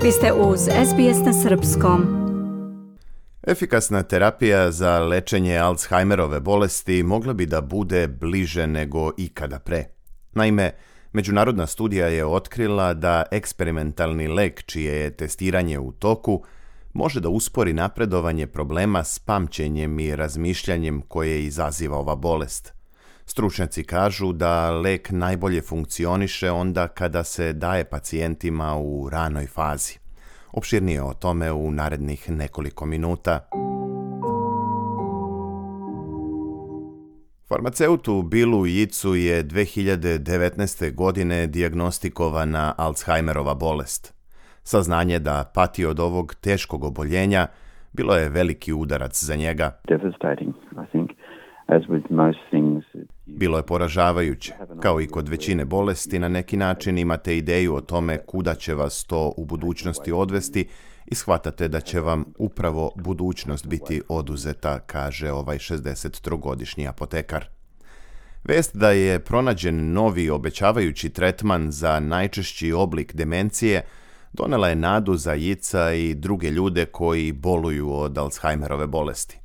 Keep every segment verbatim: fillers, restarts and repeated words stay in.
Vi ste uz S B S na srpskom. Efikasna terapija za lečenje Alzheimerove bolesti mogla bi da bude bliže nego ikada pre. Naime, međunarodna studija je otkrila da eksperimentalni lek čije je testiranje u toku može da uspori napredovanje problema s pamćenjem i razmišljanjem koje izaziva ova bolest. Stručnjaci kažu da lek najbolje funkcioniše onda kada se daje pacijentima u ranoj fazi. Opširnije o tome u narednih nekoliko minuta. Farmaceutu Billu Yeatsu je dve hiljade devetnaeste. godine dijagnostikovana Alzheimerova bolest. Saznanje da pati od ovog teškog oboljenja bilo je veliki udarac za njega. Devastating, I think. As with most things, Bilo je poražavajuće. Kao i kod većine bolesti, na neki način imate ideju o tome kuda će vas to u budućnosti odvesti i shvatate da će vam upravo budućnost biti oduzeta, kaže ovaj šezdesettrogodišnji apotekar. Vest da je pronađen novi obećavajući tretman za najčešći oblik demencije donela je nadu za Yeatsa i druge ljude koji boluju od Alzheimerove bolesti.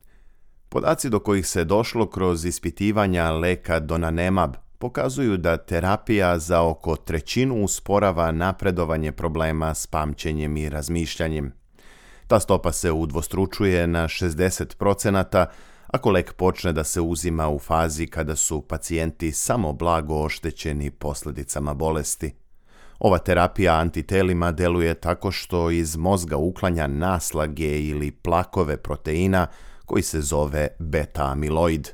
Podaci do kojih se došlo kroz ispitivanja leka donanemab pokazuju da terapija za oko trećinu usporava napredovanje problema s pamćenjem i razmišljanjem. Ta stopa se udvostručuje na šezdeset procenata ako lek počne da se uzima u fazi kada su pacijenti samo blago oštećeni posljedicama bolesti. Ova terapija antitelima deluje tako što iz mozga uklanja naslage ili plakove proteina koji se zove beta-amiloid.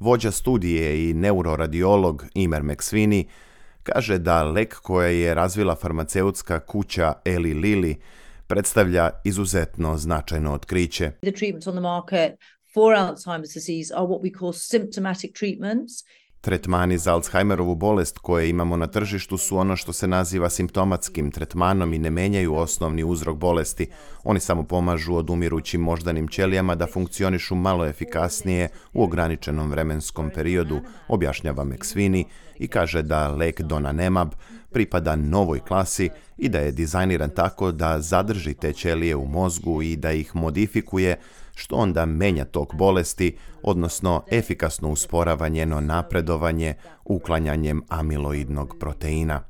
Vođa studije i neuroradiolog Emer McSweeney kaže da lek koje je razvila farmaceutska kuća Eli Lilly predstavlja izuzetno značajno otkriće. The treatments on the market for Alzheimer's disease are what we call symptomatic treatments. Tretmani za Alzheimerovu bolest koje imamo na tržištu su ono što se naziva simptomatskim tretmanom i ne menjaju osnovni uzrok bolesti. Oni samo pomažu odumirućim moždanim ćelijama da funkcionišu malo efikasnije u ograničenom vremenskom periodu, objašnjava McSweeney i kaže da lek donanemab pripada novoj klasi i da je dizajniran tako da zadrži te ćelije u mozgu i da ih modifikuje, što onda menja tok bolesti, odnosno efikasno usporava njeno napredovanje uklanjanjem amiloidnog proteina.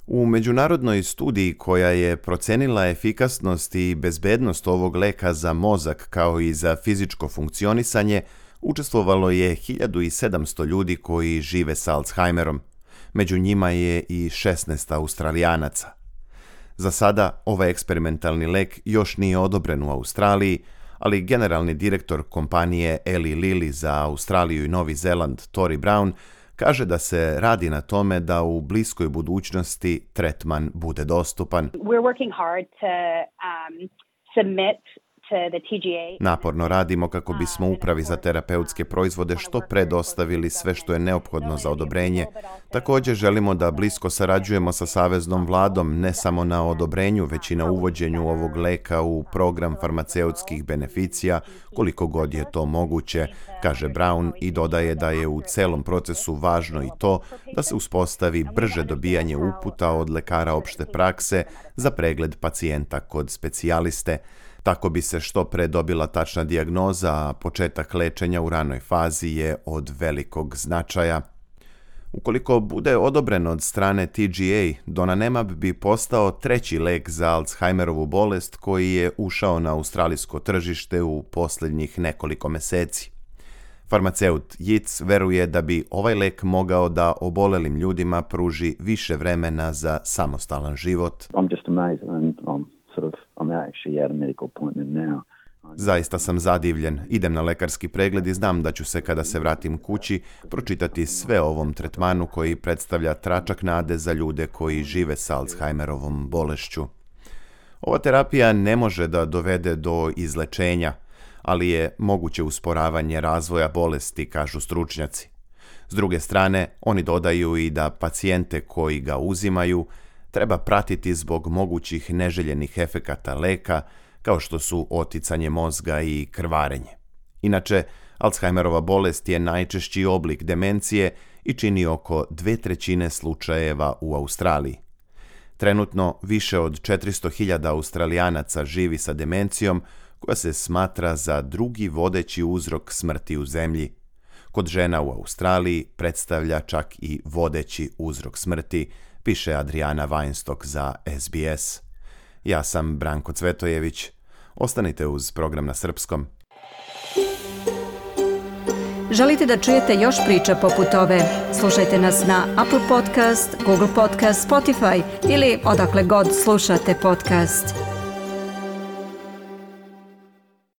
U međunarodnoj studiji koja je procenila efikasnost i bezbednost ovog leka za mozak kao i za fizičko funkcionisanje, učestvovalo je hiljadu sedamsto ljudi koji žive sa Alzheimerom. Među njima je i šesnaest Australijanaca. Za sada ovaj eksperimentalni lek još nije odobren u Australiji, ali generalni direktor kompanije Eli Lilly za Australiju i Novi Zeland, Tori Brown, kaže da se radi na tome da u bliskoj budućnosti tretman bude dostupan. We're working hard to um, submit to the T G A. Naporno radimo kako bismo upravi za terapeutske proizvode što pre dostavili sve što je neophodno za odobrenje. Također želimo da blisko sarađujemo sa saveznom vladom ne samo na odobrenju, već i na uvođenju ovog leka u program farmaceutskih beneficija, koliko god je to moguće, kaže Brown i dodaje da je u celom procesu važno i to da se uspostavi brže dobijanje uputa od lekara opšte prakse za pregled pacijenta kod specijaliste. Tako bi se što pre dobila tačna dijagnoza, a početak lečenja u ranoj fazi je od velikog značaja. Ukoliko bude odobren od strane T G A, donanemab bi postao treći lek za Alzheimerovu bolest koji je ušao na australijsko tržište u posljednjih nekoliko meseci. Farmaceut Yeats veruje da bi ovaj lek mogao da obolelim ljudima pruži više vremena za samostalan život. I'm just amazed and I'm sort of I'm actually at a medical appointment now. Zaista sam zadivljen. Idem na lekarski pregled i znam da ću se kada se vratim kući pročitati sve o ovom tretmanu koji predstavlja tračak nade za ljude koji žive sa Alzheimerovom bolešću. Ova terapija ne može da dovede do izlečenja, ali je moguće usporavanje razvoja bolesti, kažu stručnjaci. S druge strane, oni dodaju i da pacijente koji ga uzimaju treba pratiti zbog mogućih neželjenih efekata leka, kao što su oticanje mozga i krvarenje. Inače, Alzheimerova bolest je najčešći oblik demencije i čini oko dve trećine slučajeva u Australiji. Trenutno više od četiristo hiljada Australijanaca živi sa demencijom, koja se smatra za drugi vodeći uzrok smrti u zemlji. Kod žena u Australiji predstavlja čak i vodeći uzrok smrti, piše Adriana Weinstock za S B S. Ja sam Branko Cvetojević. Ostanite uz program na srpskom. Želite da čujete još priča poput ove? Slušajte nas na Apple Podcast, Google Podcast, Spotify ili odakle god slušate podcast.